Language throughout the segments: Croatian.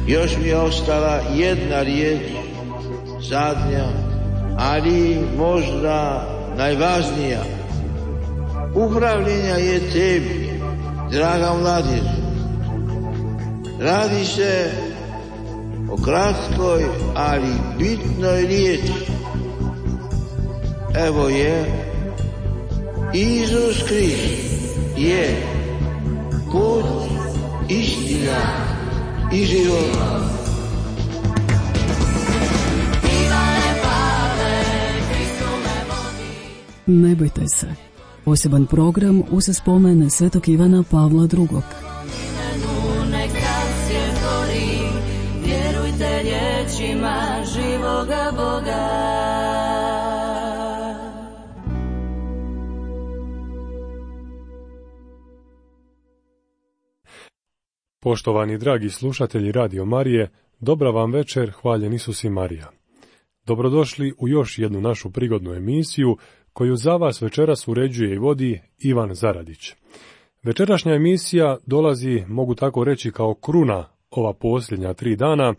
Još mi je ostala jedna riječ, zadnja, ali možda najvažnija. Upravljenja je tebi, draga mladežu. Radi se o kratkoj, ali bitnoj riječi. Evo je, Isus Krist je put, istina i život. Ne bojte se. Poseban program uz spomen Svetog Ivana Pavla II. Vjerujte riječima živoga Boga. Poštovani dragi slušatelji Radio Marije, dobra vam večer, hvaljen Isus i Marija. Dobrodošli u još jednu našu prigodnu emisiju koju za vas večeras uređuje i vodi Ivan Zaradić. Večerašnja emisija dolazi, mogu tako reći, kao kruna ova posljednja 3 dana,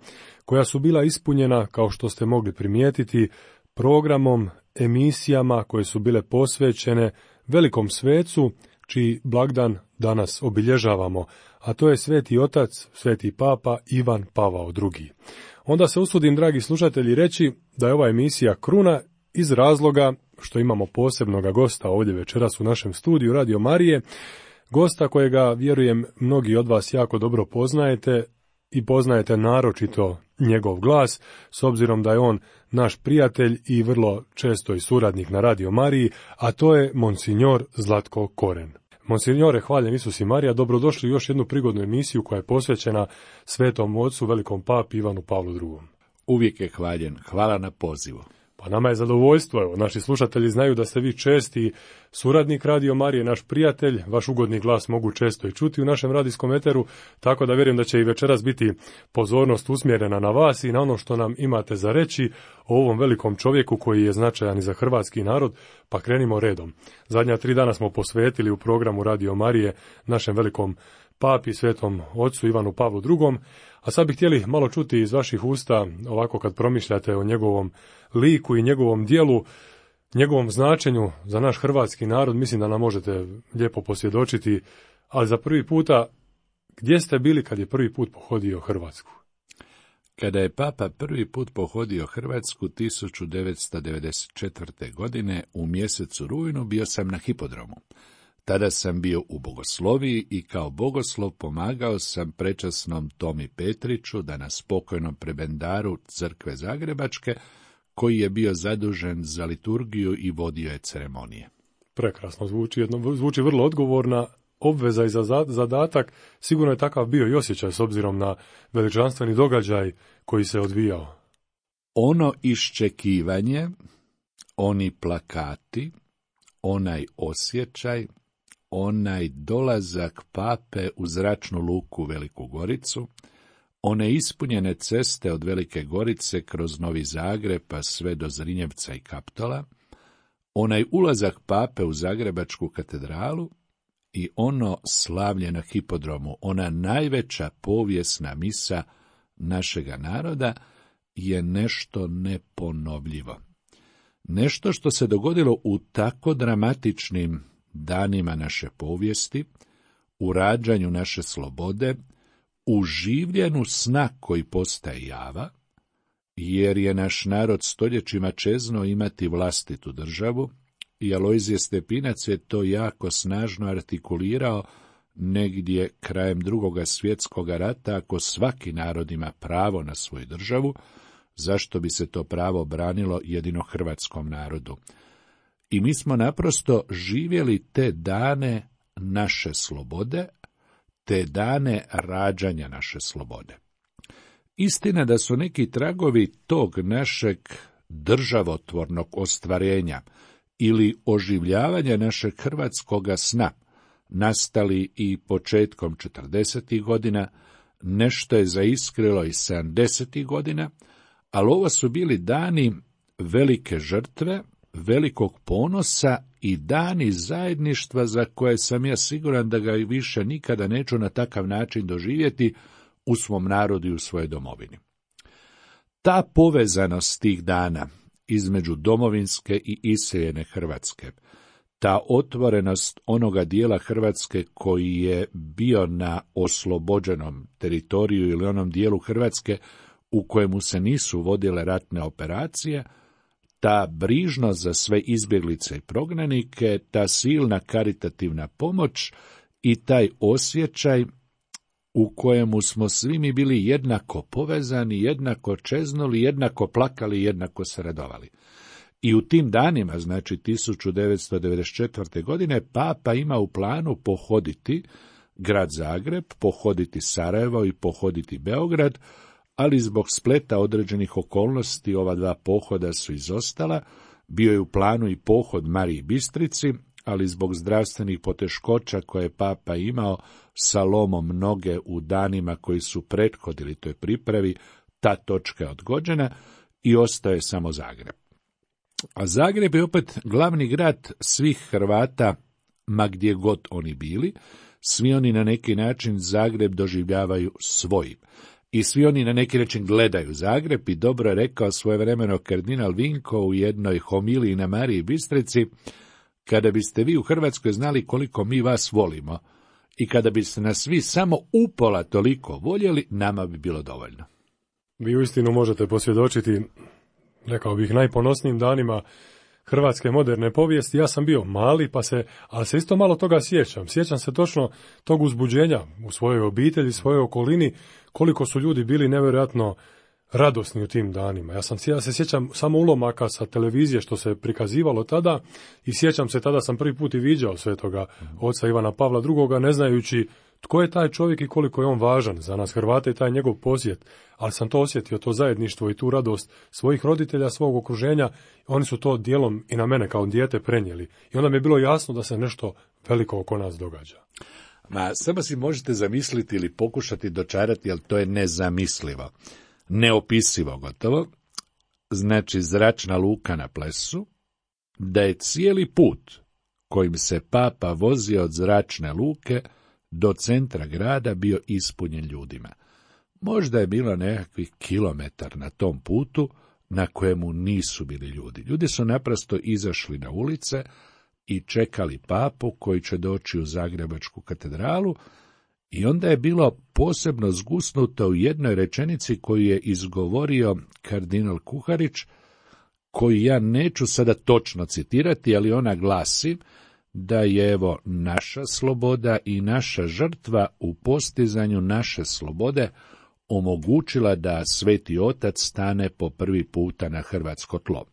koja su bila ispunjena, kao što ste mogli primijetiti, programom, emisijama koje su bile posvećene velikom svecu, čiji blagdan danas obilježavamo, a to je Sveti Otac, Sveti Papa Ivan Pavao II. Onda se usudim, dragi slušatelji, reći da je ova emisija kruna iz razloga što imamo posebnoga gosta ovdje večeras u našem studiju Radio Marije, gosta kojega, vjerujem, mnogi od vas jako dobro poznajete i poznajete naročito njegov glas, s obzirom da je on naš prijatelj i vrlo često i suradnik na Radio Mariji, a to je Monsignor Zlatko Koren. Monsignore, hvaljen Isus i Marija, dobrodošli u još jednu prigodnu emisiju koja je posvećena Svetom Ocu, velikom papi Ivanu Pavlu II. Uvijek je hvaljen, hvala na pozivu. Pa nama je zadovoljstvo, evo, naši slušatelji znaju da ste vi česti suradnik Radio Marije, naš prijatelj, vaš ugodni glas mogu često i čuti u našem radijskom eteru, tako da vjerujem da će i večeras biti pozornost usmjerena na vas i na ono što nam imate za reći o ovom velikom čovjeku koji je značajan i za hrvatski narod, pa krenimo redom. Zadnja 3 dana smo posvetili u programu Radio Marije našem velikom papi, Svetom Ocu Ivanu Pavlu II, a sad bih htjeli malo čuti iz vaših usta, ovako kad promišljate o njegovom liku i njegovom djelu, njegovom značenju za naš hrvatski narod, mislim da nam možete lijepo posvjedočiti, ali za prvi puta, gdje ste bili kad je prvi put pohodio Hrvatsku? Kada je Papa prvi put pohodio Hrvatsku 1994. godine u mjesecu rujnu bio sam na hipodromu. Tada sam bio u bogosloviji i kao bogoslov pomagao sam prečasnom Tomi Petriću da na spokojnom prebendaru crkve Zagrebačke, koji je bio zadužen za liturgiju i vodio je ceremonije. Prekrasno zvuči vrlo odgovorna obveza i zadatak, sigurno je takav bio i osjećaj s obzirom na veličanstveni događaj koji se odvijao. Ono iščekivanje, oni plakati, onaj osjećaj, onaj dolazak pape u zračnu luku Veliku Goricu, one ispunjene ceste od Velike Gorice kroz Novi Zagreb pa sve do Zrinjevca i Kaptola, onaj ulazak pape u Zagrebačku katedralu i ono slavlje na hipodromu, ona najveća povijesna misa našega naroda je nešto neponovljivo. Nešto što se dogodilo u tako dramatičnim danima naše povijesti, u rađanju naše slobode, u življenu sna koji postaje java, jer je naš narod stoljećima čeznuo imati vlastitu državu, i Alojzije Stepinac je to jako snažno artikulirao negdje krajem Drugoga svjetskog rata. Ako svaki narod ima pravo na svoju državu, zašto bi se to pravo branilo jedino hrvatskom narodu? I mi smo naprosto živjeli te dane naše slobode, te dane rađanja naše slobode. Istina da su neki tragovi tog našeg državotvornog ostvarenja ili oživljavanja našeg hrvatskoga sna nastali i početkom 40. godina, nešto je zaiskrilo i 70. godina, ali ovo su bili dani velike žrtve, velikog ponosa i dani zajedništva za koje sam ja siguran da ga više nikada neću na takav način doživjeti u svom narodu i u svojoj domovini. Ta povezanost tih dana između domovinske i iseljene Hrvatske, ta otvorenost onoga dijela Hrvatske koji je bio na oslobođenom teritoriju ili onom dijelu Hrvatske u kojemu se nisu vodile ratne operacije, ta brižnost za sve izbjeglice i prognanike, ta silna karitativna pomoć i taj osjećaj u kojemu smo svi mi bili jednako povezani, jednako čeznuli, jednako plakali, jednako se radovali. I u tim danima, znači 1994. godine, Papa ima u planu pohoditi grad Zagreb, pohoditi Sarajevo i pohoditi Beograd, ali zbog spleta određenih okolnosti ova dva pohoda su izostala. Bio je u planu i pohod Mariji Bistrici, ali zbog zdravstvenih poteškoća koje je Papa imao sa lomom noge u danima koji su prethodili toj pripravi, ta točka je odgođena i ostaje samo Zagreb. A Zagreb je opet glavni grad svih Hrvata, ma gdje god oni bili. Svi oni na neki način Zagreb doživljavaju svojim. I svi oni na neki način gledaju Zagreb i dobro je rekao svojevremeno kardinal Vinko u jednoj homiliji na Mariji Bistrici: kada biste vi u Hrvatskoj znali koliko mi vas volimo i kada biste nas svi samo upola toliko voljeli, nama bi bilo dovoljno. Vi uistinu možete posvjedočiti, rekao bih, najponosnijim danima hrvatske moderne povijesti. Ja sam bio mali, ali se isto malo toga sjećam. Sjećam se točno tog uzbuđenja u svojoj obitelji, svojoj okolini, koliko su ljudi bili nevjerojatno radosni u tim danima. Ja se sjećam samo ulomaka sa televizije što se prikazivalo tada i sjećam se, tada sam prvi put i viđao svetoga oca Ivana Pavla II, ne znajući tko je taj čovjek i koliko je on važan za nas Hrvate i taj njegov posjet, ali sam to osjetio, to zajedništvo i tu radost svojih roditelja, svog okruženja. Oni su to dijelom i na mene kao dijete prenijeli i onda mi je bilo jasno da se nešto veliko oko nas događa. Ma, samo si možete zamisliti ili pokušati dočarati, ali to je nezamislivo, neopisivo gotovo. Znači, zračna luka na Plesu, da je cijeli put kojim se Papa vozio od zračne luke do centra grada bio ispunjen ljudima. Možda je bilo nekakvih kilometar na tom putu na kojemu nisu bili ljudi. Ljudi su naprosto izašli na ulice i čekali Papu koji će doći u Zagrebačku katedralu, i onda je bilo posebno zgusnuto u jednoj rečenici koju je izgovorio kardinal Kuharić, koju ja neću sada točno citirati, ali ona glasi da je evo naša sloboda i naša žrtva u postizanju naše slobode omogućila da Sveti Otac stane po prvi puta na hrvatsko tlo.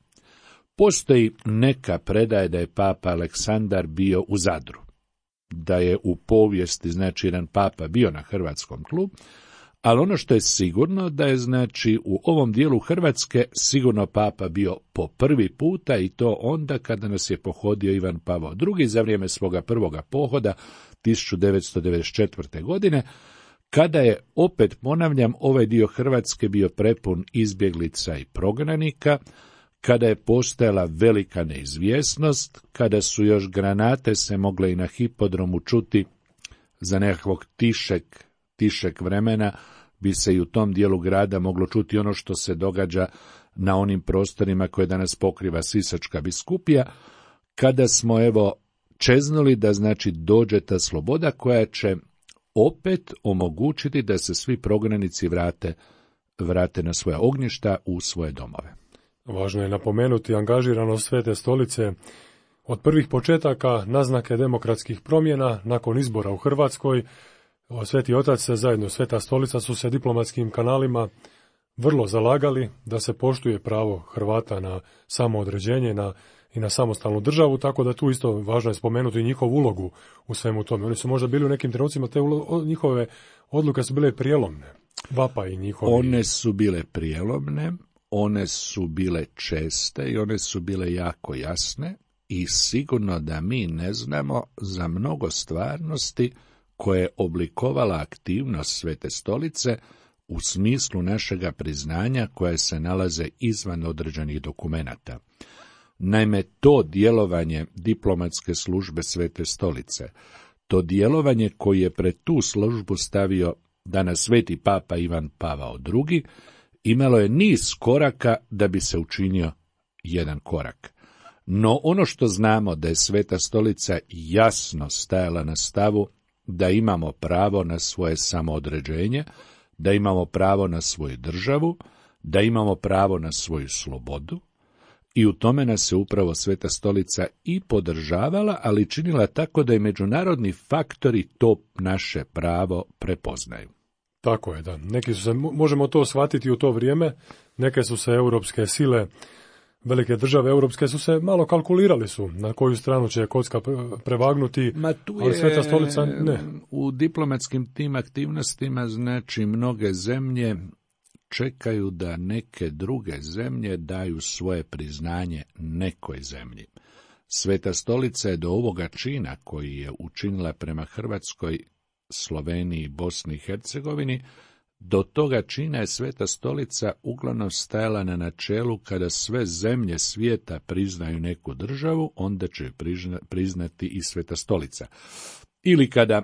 Postoji neka predaje da je Papa Aleksandar bio u Zadru, da je u povijesti, znači, jedan Papa bio na hrvatskom tlu, ali ono što je sigurno da je, znači, u ovom dijelu Hrvatske sigurno Papa bio po prvi puta, i to onda kada nas je pohodio Ivan Pavao II za vrijeme svoga prvoga pohoda 1994. godine, kada je, opet ponavljam, ovaj dio Hrvatske bio prepun izbjeglica i prognanika, kada je postojala velika neizvjesnost, kada su još granate se mogle i na hipodromu čuti za nekakvog tišeg vremena, bi se i u tom dijelu grada moglo čuti ono što se događa na onim prostorima koje danas pokriva Sisačka biskupija, kada smo evo čeznuli da, znači, dođe ta sloboda koja će opet omogućiti da se svi prognanici vrate na svoja ognjišta, u svoje domove. Važno je napomenuti angažiranost Svete stolice od prvih početaka, naznake demokratskih promjena nakon izbora u Hrvatskoj. Sveti Otac se zajedno Sveta stolica su se diplomatskim kanalima vrlo zalagali da se poštuje pravo Hrvata na samoodređenje i na samostalnu državu, tako da tu isto važno je spomenuti njihovu ulogu u svemu tome. Oni su možda bili u nekim trenucima, njihove odluke su bile prijelomne. Vapa i njihovi. One su bile prijelomne, one su bile česte i one su bile jako jasne, i sigurno da mi ne znamo za mnogo stvarnosti koje je oblikovala aktivnost Svete stolice u smislu našega priznanja koje se nalaze izvan određenih dokumenata. Naime, to djelovanje diplomatske službe Svete stolice, to djelovanje koji je pred tu službu stavio danas sveti papa Ivan Pavao II, imalo je niz koraka da bi se učinio jedan korak. No ono što znamo da je Sveta Stolica jasno stajala na stavu da imamo pravo na svoje samoodređenje, da imamo pravo na svoju državu, da imamo pravo na svoju slobodu, i u tome nas se upravo Sveta Stolica i podržavala, ali činila tako da i međunarodni faktori to naše pravo prepoznaju. Tako je, da. Neki su se, možemo to shvatiti u to vrijeme, neke su se europske sile, velike države europske su se malo kalkulirali su na koju stranu će kocka prevagnuti, ali Sveta Stolica ne. U diplomatskim tim aktivnostima, znači, mnoge zemlje čekaju da neke druge zemlje daju svoje priznanje nekoj zemlji. Sveta Stolica je do ovoga čina koji je učinila prema Hrvatskoj, Sloveniji, Bosni i Hercegovini, do toga čina je Sveta Stolica uglavnom stajala na načelu kada sve zemlje svijeta priznaju neku državu, onda će priznati i Sveta Stolica. Ili kada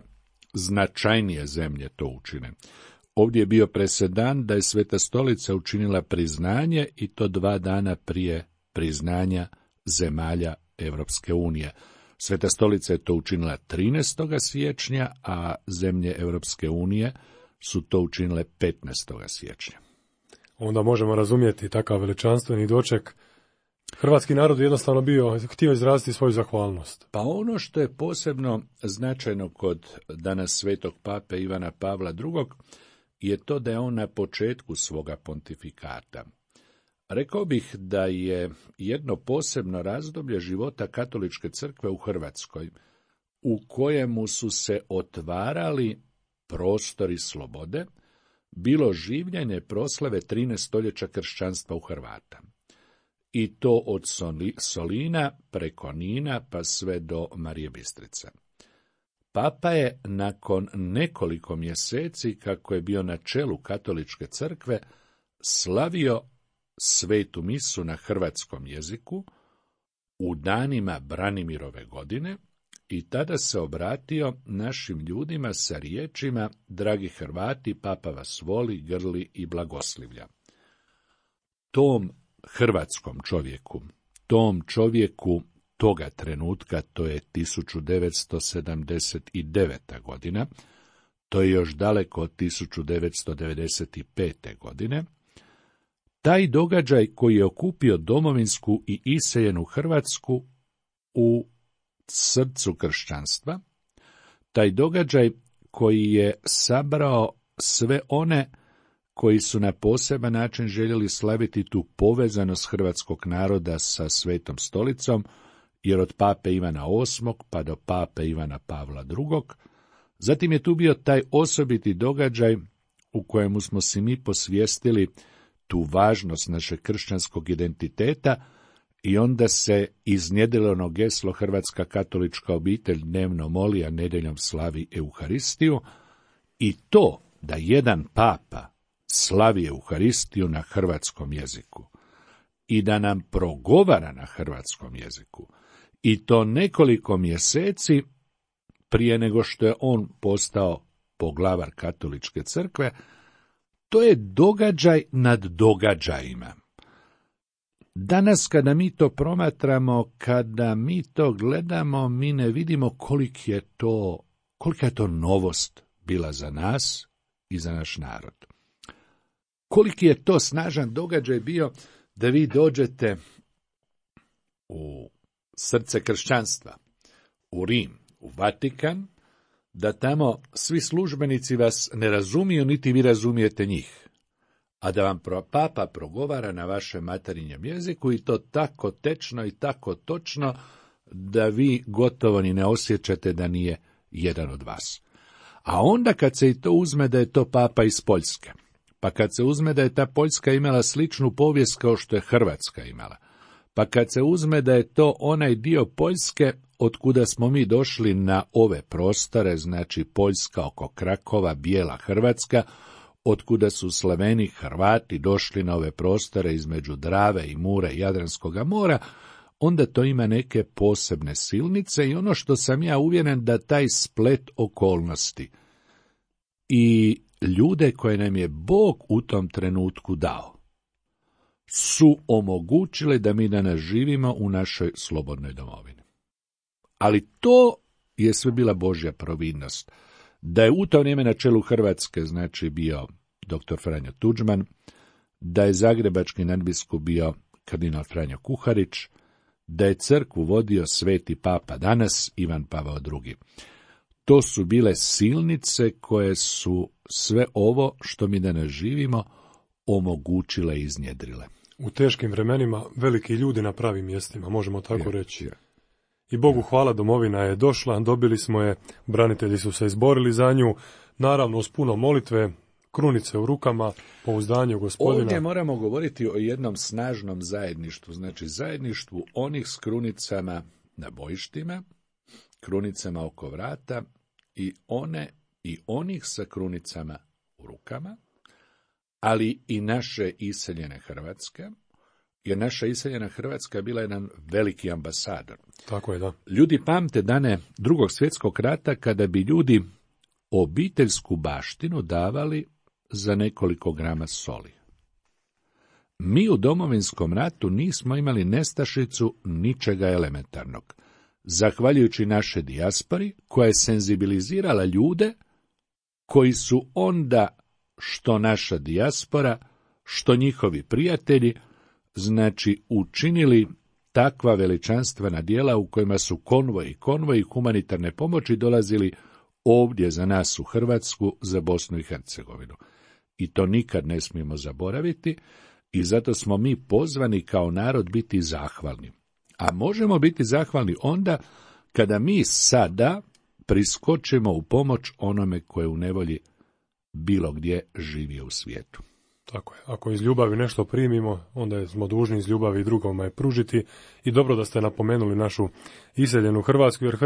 značajnije zemlje to učine. Ovdje je bio presedan da je Sveta Stolica učinila priznanje i to 2 dana prije priznanja zemalja Europske unije. Sveta Stolica je to učinila 13. siječnja, a zemlje Europske unije su to učinile 15. siječnja. Onda možemo razumjeti takav veličanstveni doček. Hrvatski narod je jednostavno htio izraziti svoju zahvalnost. Pa ono što je posebno značajno kod danas svetog pape Ivana Pavla II. Je to da je on na početku svoga pontifikata. Rekao bih da je jedno posebno razdoblje života Katoličke crkve u Hrvatskoj, u kojemu su se otvarali prostori slobode, bilo življenje proslave 13 stoljeća kršćanstva u Hrvata. I to od Solina preko Nina pa sve do Marije Bistrice. Papa je nakon nekoliko mjeseci, kako je bio na čelu Katoličke crkve, slavio svetu misu na hrvatskom jeziku u danima Branimirove godine i tada se obratio našim ljudima sa riječima: dragi Hrvati, Papa vas voli, grli i blagoslivlja. Tom hrvatskom čovjeku, tom čovjeku toga trenutka, to je 1979. godina, to je još daleko od 1995. godine, taj događaj koji je okupio domovinsku i iseljenu Hrvatsku u srcu kršćanstva, taj događaj koji je sabrao sve one koji su na poseban način željeli slaviti tu povezanost hrvatskog naroda sa Svetom Stolicom, jer od pape Ivana VIII. Pa do pape Ivana Pavla II. Zatim je tu bio taj osobiti događaj u kojemu smo si mi posvijestili tu važnost našeg kršćanskog identiteta i onda se iznjedrilo ono geslo Hrvatska katolička obitelj dnevno moli, a nedjeljom slavi Euharistiju, i to da jedan papa slavi Euharistiju na hrvatskom jeziku i da nam progovara na hrvatskom jeziku, i to nekoliko mjeseci prije nego što je on postao poglavar Katoličke crkve, to je događaj nad događajima. Danas kada mi to promatramo, kada mi to gledamo, mi ne vidimo kolika je to novost bila za nas i za naš narod. Koliki je to snažan događaj bio da vi dođete u srce kršćanstva, u Rim, u Vatikan, da tamo svi službenici vas ne razumiju, niti vi razumijete njih, a da vam papa progovara na vašem materinjem jeziku, i to tako tečno i tako točno da vi gotovo ni ne osjećate da nije jedan od vas. A onda kad se i to uzme da je to papa iz Poljske, pa kad se uzme da je ta Poljska imala sličnu povijest kao što je Hrvatska imala, pa kad se uzme da je to onaj dio Poljske od kuda smo mi došli na ove prostore, znači Poljska oko Krakova, bijela Hrvatska, od kuda su Slaveni, Hrvati došli na ove prostore između Drave i Mure i Jadranskoga mora, onda to ima neke posebne silnice, i ono što sam ja uvjeren da taj splet okolnosti i ljude koje nam je Bog u tom trenutku dao, su omogućile da mi danas živimo u našoj slobodnoj domovini. Ali to je sve bila Božja providnost. Da je u to vrijeme na čelu Hrvatske, znači, bio dr. Franjo Tuđman, da je zagrebački nadbiskup bio kardinal Franjo Kuharić, da je crkvu vodio sveti papa danas, Ivan Pavao II. To su bile silnice koje su sve ovo što mi danas živimo omogućile i iznjedrile. U teškim vremenima veliki ljudi na pravim mjestima, možemo tako reći. I Bogu hvala, domovina je došla, dobili smo je, branitelji su se izborili za nju, naravno uz puno molitve, krunice u rukama, pouzdanje u Gospodina. Ovdje moramo govoriti o jednom snažnom zajedništvu, znači zajedništvu onih s krunicama na bojištima, krunicama oko vrata i onih sa krunicama u rukama, ali i naše iseljene Hrvatske, jer naša iseljena Hrvatska je bila jedan veliki ambasador. Tako je, da. Ljudi pamte dane Drugog svjetskog rata kada bi ljudi obiteljsku baštinu davali za nekoliko grama soli. Mi u Domovinskom ratu nismo imali nestašicu ničega elementarnog, zahvaljujući naše dijaspori koja je senzibilizirala ljude koji su onda, što naša dijaspora, što njihovi prijatelji, znači učinili takva veličanstvena djela u kojima su konvoji humanitarne pomoći dolazili ovdje za nas u Hrvatsku, za Bosnu i Hercegovinu. I to nikad ne smijemo zaboraviti i zato smo mi pozvani kao narod biti zahvalni. A možemo biti zahvalni onda kada mi sada priskočimo u pomoć onome koje u nevolji bilo gdje živio u svijetu. Tako je. Ako iz ljubavi nešto primimo, onda smo dužni iz ljubavi drugome pružiti. I dobro da ste napomenuli našu iseljenu Hrvatsku, jer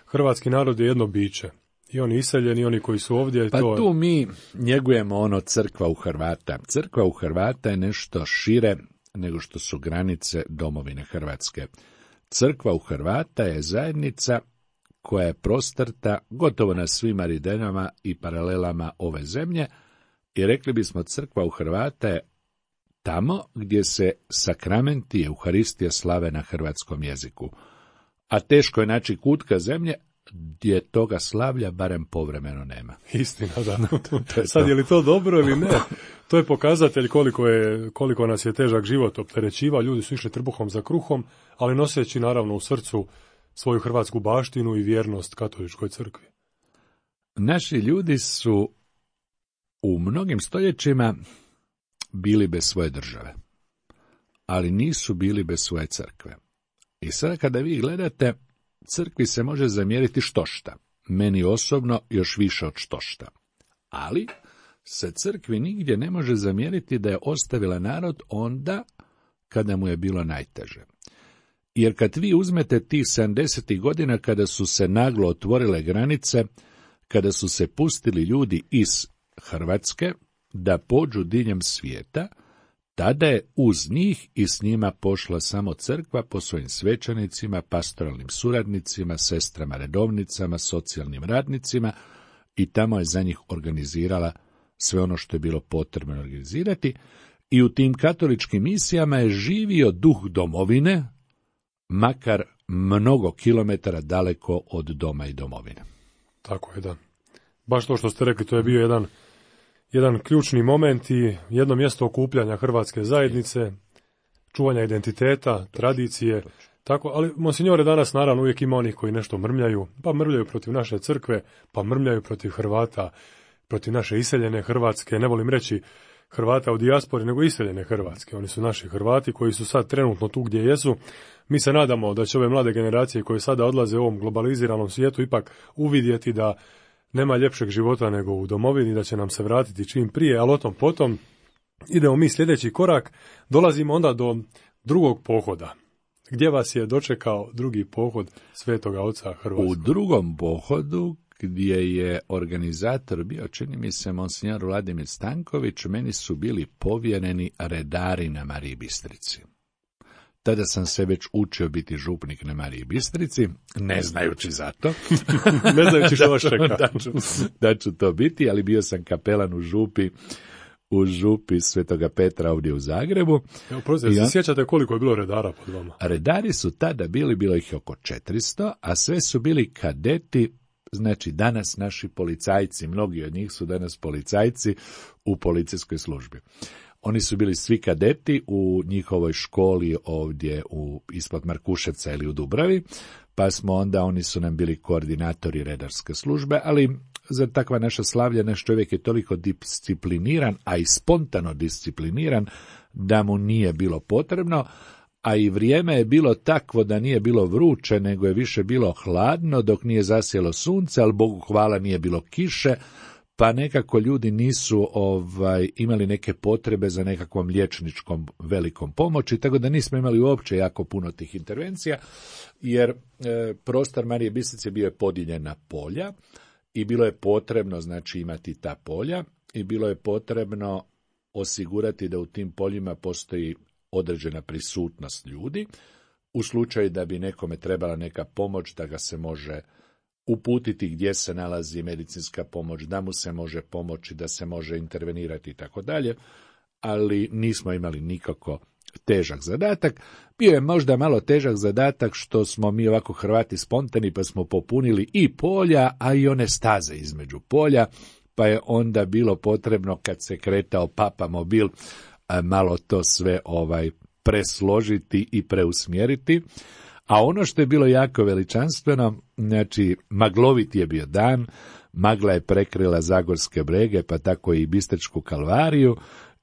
hrvatski narod je jedno biće. I oni iseljeni, i oni koji su ovdje. Pa tu mi njegujemo crkva u Hrvata. Crkva u Hrvata je nešto šire nego što su granice domovine Hrvatske. Crkva u Hrvata je zajednica koja je prostrta gotovo na svim aridenama i paralelama ove zemlje, i rekli bismo crkva u Hrvata je tamo gdje se sakramenti i Euharistija slave na hrvatskom jeziku. A teško je naći kutka zemlje gdje toga slavlja barem povremeno nema. Istina, da. Sad je li to dobro ili ne? To je pokazatelj koliko nas je težak život opterećivao. Ljudi su išli trbuhom za kruhom, ali noseći naravno u srcu svoju hrvatsku baštinu i vjernost katoličkoj crkvi. Naši ljudi su u mnogim stoljećima bili bez svoje države, ali nisu bili bez svoje crkve. I sada kada vi gledate, crkvi se može zamjeriti štošta, meni osobno još više od štošta. Ali se crkvi nigdje ne može zamjeriti da je ostavila narod onda kada mu je bilo najteže. Jer kad vi uzmete tih 70. godina kada su se naglo otvorile granice, kada su se pustili ljudi iz Hrvatske da pođu diljem svijeta, tada je uz njih i s njima pošla samo crkva po svojim svećenicima, pastoralnim suradnicima, sestrama redovnicama, socijalnim radnicima, i tamo je za njih organizirala sve ono što je bilo potrebno organizirati, i u tim katoličkim misijama je živio duh domovine, makar mnogo kilometara daleko od doma i domovine. Tako je, da. Baš to što ste rekli, to je bio jedan ključni moment i jedno mjesto okupljanja hrvatske zajednice, čuvanja identiteta, tradicije. Tako, ali, monsignore, danas naravno uvijek ima onih koji nešto mrmljaju, pa mrmljaju protiv naše crkve, pa mrmljaju protiv Hrvata, protiv naše iseljene Hrvatske, ne volim reći Hrvata u dijaspori, nego iseljene Hrvatske. Oni su naši Hrvati koji su sad trenutno tu gdje jesu. Mi se nadamo da će ove mlade generacije koje sada odlaze u ovom globaliziranom svijetu ipak uvidjeti da nema ljepšeg života nego u domovini, da će nam se vratiti čim prije, ali o tom potom idemo mi sljedeći korak, dolazimo onda do drugog pohoda. Gdje vas je dočekao drugi pohod Svetoga Oca Hrvatskog? U drugom pohodu, gdje je organizator bio, čini mi se, monsignor Vladimir Stanković, meni su bili povjereni redari na Mariji Bistrici. Tada sam se već učio biti župnik na Mariji Bistrici, ne znajući za to. Ne znajući što vas čeka. Da ću to biti, ali bio sam kapelan u župi Svetoga Petra ovdje u Zagrebu. Se sjećate koliko je bilo redara pod vama? Redari su tada bilo ih oko 400, a sve su bili kadeti, znači danas naši policajci, mnogi od njih su danas policajci u policijskoj službi. Oni su bili svi kadeti u njihovoj školi ovdje ispod Markuševca ili u Dubravi, pa smo onda, oni su nam bili koordinatori redarske službe, ali za takva naša slavlja, naš čovjek je toliko discipliniran, a i spontano discipliniran, da mu nije bilo potrebno, a i vrijeme je bilo takvo da nije bilo vruće, nego je više bilo hladno dok nije zasjelo sunce, ali Bogu hvala nije bilo kiše, pa nekako ljudi nisu imali neke potrebe za nekakvom liječničkom velikom pomoći, tako da nismo imali uopće jako puno tih intervencija, jer prostor Marije Bistrice bio je podijeljen na polja i bilo je potrebno, znači, imati ta polja i bilo je potrebno osigurati da u tim poljima postoji određena prisutnost ljudi, u slučaju da bi nekome trebala neka pomoć, da ga se može uputiti gdje se nalazi medicinska pomoć, da mu se može pomoći, da se može intervenirati i tako dalje, ali nismo imali nikako težak zadatak. Bio je možda malo težak zadatak što smo mi ovako Hrvati spontani, pa smo popunili i polja, a i one staze između polja, pa je onda bilo potrebno, kad se kretao Papa mobil, malo to sve presložiti i preusmjeriti. A ono što je bilo jako veličanstveno, znači maglovit je bio dan, magla je prekrila Zagorske brege, pa tako i Bistričku kalvariju,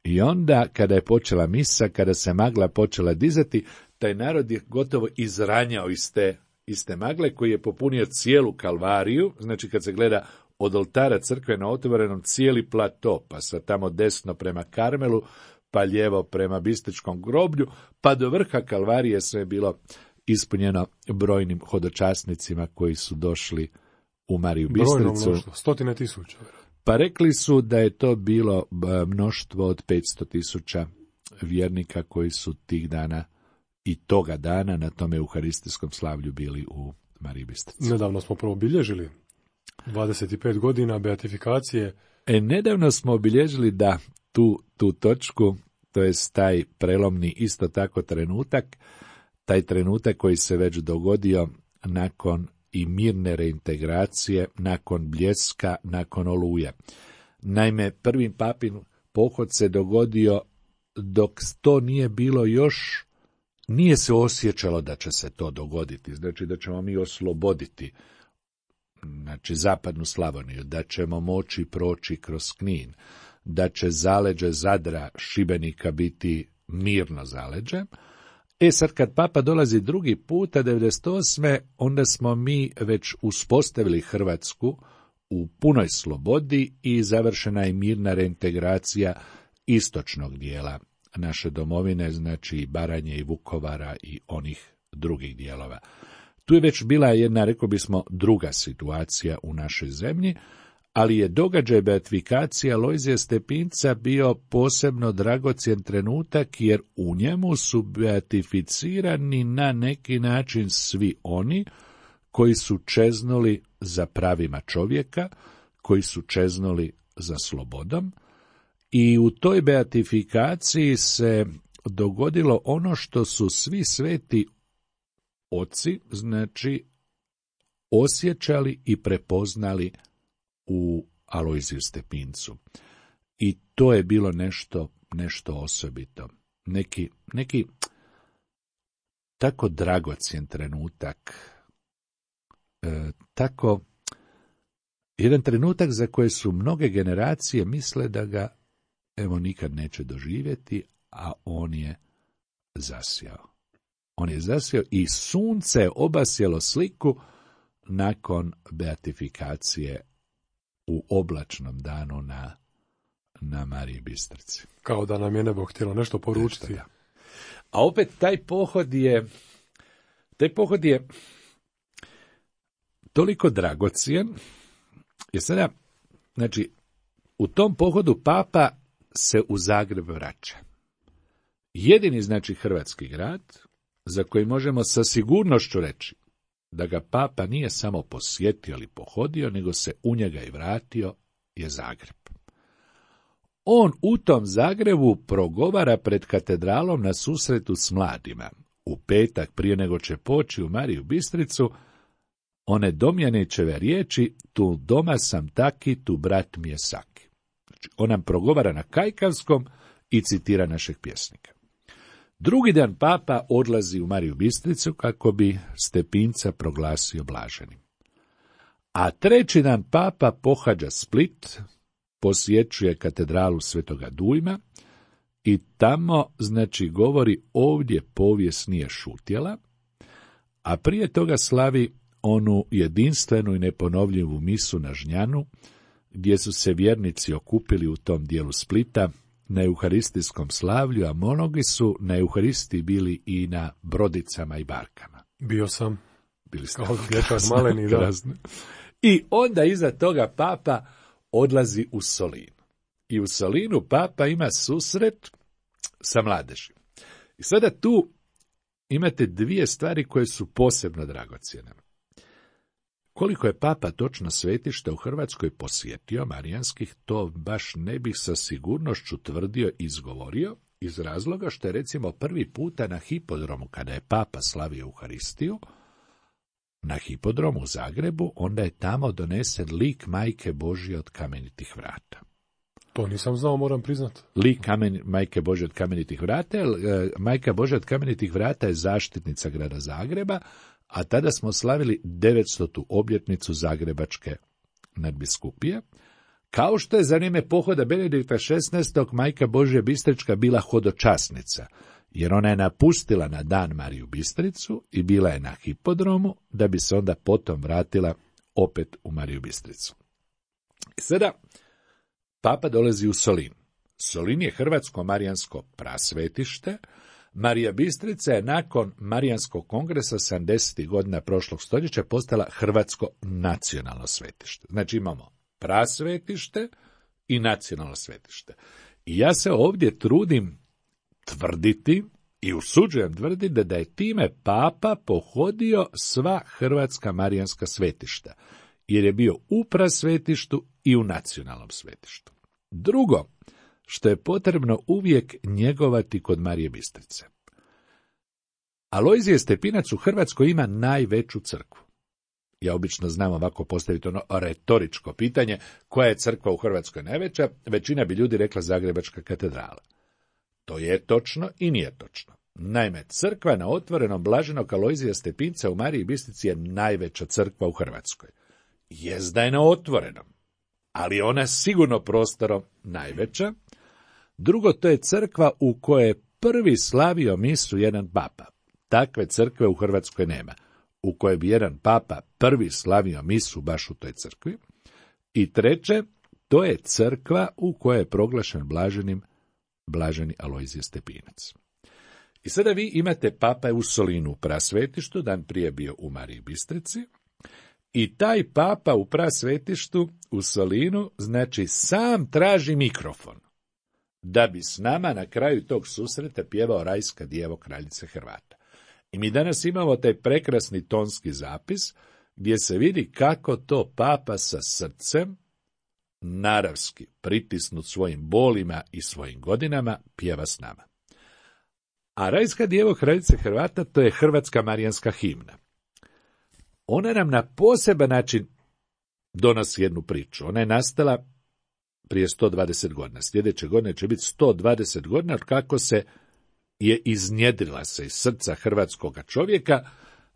i onda kada je počela misa, kada se magla počela dizati, taj narod je gotovo izranjao iz te magle, koji je popunio cijelu kalvariju, znači kad se gleda od oltara crkve na otvorenom cijeli plato, pa sa tamo desno prema Karmelu, pa lijevo prema Bistričkom groblju, pa do vrha kalvarije sve je bilo ispunjeno brojnim hodočasnicima koji su došli u Mariju Bistricu. Mnoštvo, 100.000. Pa rekli su da je to bilo mnoštvo od 500.000 vjernika koji su tih dana i toga dana na tome euharistijskom slavlju bili u Mariji Bistrici. Nedavno smo obilježili 25 godina beatifikacije. Nedavno smo obilježili tu točku, to je taj prelomni isto tako trenutak, taj trenutak koji se već dogodio nakon i mirne reintegracije, nakon Bljeska, nakon Oluje. Naime, prvi papin pohod se dogodio dok to nije bilo još, nije se osjećalo da će se to dogoditi, znači da ćemo mi osloboditi, znači zapadnu Slavoniju, da ćemo moći proći kroz Knin, da će zaleđe Zadra, Šibenika biti mirno zaleđe. Sad kad Papa dolazi drugi puta, 98. onda smo mi već uspostavili Hrvatsku u punoj slobodi i završena je mirna reintegracija istočnog dijela naše domovine, znači i Baranje i Vukovara i onih drugih dijelova. Tu je već bila jedna, rekao bismo, druga situacija u našoj zemlji, ali je događaj beatifikacije Alojzija Stepinca bio posebno dragocjen trenutak, jer u njemu su beatificirani na neki način svi oni koji su čeznuli za pravima čovjeka, koji su čeznuli za slobodom, i u toj beatifikaciji se dogodilo ono što su svi sveti oci, znači, osjećali i prepoznali u Alojziju Stepincu. I to je bilo nešto osobito. Neki tako dragocjen trenutak, tako jedan trenutak za koje su mnoge generacije misle da ga nikad neće doživjeti, a on je zasjao. On je zasjao i sunce je obasjelo sliku nakon beatifikacije u oblačnom danu na Mariji Bistrici. Kao da nam je nebo htjelo nešto poručiti. A opet taj pohod je toliko dragocijen, jer sada, znači, u tom pohodu Papa se u Zagreb vraća. Jedini, znači, hrvatski grad za koji možemo sa sigurnošću reći da ga papa nije samo posjetio ili pohodio, nego se u njega i vratio, je Zagreb. On u tom Zagrebu progovara pred katedralom na susretu s mladima. U petak, prije nego će poći u Mariju Bistricu, one Domjanićeve riječi: tu doma sam taki, tu brat mi je saki. Znači, on nam progovara na kajkavskom i citira našeg pjesnika. Drugi dan papa odlazi u Mariju Bistricu kako bi Stepinca proglasio blaženim. A treći dan papa pohađa Split, posjećuje katedralu Svetoga Dujma i tamo, znači, govori: ovdje povijest nije šutjela, a prije toga slavi onu jedinstvenu i neponovljivu misu na Žnjanu, gdje su se vjernici okupili u tom dijelu Splita na euharistijskom slavlju, a mnogi su na euharistiji bili i na brodicama i barkama. Bio sam. Bili ste kao dječak maleni, da. I onda iza toga papa odlazi u Solin. I u Solinu papa ima susret sa mladežima. I sada tu imate dvije stvari koje su posebno dragocjene. Koliko je papa točno svetišta u Hrvatskoj posjetio marijanskih, to baš ne bih sa sigurnošću tvrdio i izgovorio, iz razloga što je recimo prvi puta na hipodromu, kada je papa slavio Euharistiju, na hipodromu u Zagrebu, onda je tamo donesen lik Majke Božje od kamenitih vrata. To nisam znao, moram priznati. Lik Majke Božje od kamenitih vrata, Majka Božja od kamenitih vrata je zaštitnica grada Zagreba, a tada smo slavili 900. obljetnicu Zagrebačke nadbiskupije, kao što je za vrijeme pohoda Benedikta XVI. Majka Božja Bistrička bila hodočasnica, jer ona je napustila na dan Mariju Bistricu i bila je na hipodromu, da bi se onda potom vratila opet u Mariju Bistricu. I sada papa dolazi u Solin. Solin je hrvatsko marijansko prasvetište. Marija Bistrica je nakon Marijanskog kongresa 70. godina prošlog stoljeća postala hrvatsko nacionalno svetište. Znači imamo prasvetište i nacionalno svetište. I ja se ovdje trudim tvrditi i usuđujem tvrditi da je time papa pohodio sva hrvatska marijanska svetišta, jer je bio u prasvetištu i u nacionalnom svetištu. Drugo, što je potrebno uvijek njegovati kod Marije Bistrice. Alojzije Stepinac u Hrvatskoj ima najveću crkvu. Ja obično znam ovako postaviti ono retoričko pitanje: koja je crkva u Hrvatskoj najveća? Većina bi ljudi rekla Zagrebačka katedrala. To je točno i nije točno. Naime, crkva na otvorenom blaženog Alojzija Stepinca u Mariji Bistrici je najveća crkva u Hrvatskoj. Jest da je na otvorenom, ali ona sigurno prostorom najveća. Drugo, to je crkva u kojoj je prvi slavio misu jedan papa. Takve crkve u Hrvatskoj nema, u kojoj bi jedan papa prvi slavio misu baš u toj crkvi. I treće, to je crkva u kojoj je proglašen blaženim blaženi Alojzije Stepinac. I sada vi imate papa je u Solinu u prasvetištu, dan prije bio u Mariji Bistrici, i taj papa u prasvetištu u Solinu, znači, sam traži mikrofon, da bi s nama na kraju tog susreta pjevao Rajska djevo kraljice Hrvata. I mi danas imamo taj prekrasni tonski zapis, gdje se vidi kako to papa sa srcem, naravski pritisnut svojim bolima i svojim godinama, pjeva s nama. A Rajska djevo kraljice Hrvata, to je hrvatska marijanska himna. Ona nam na poseban način donosi jednu priču. Ona je nastala prije 120 godina. Sljedeće godine će biti 120 godina kako se je iznjedrila se iz srca hrvatskoga čovjeka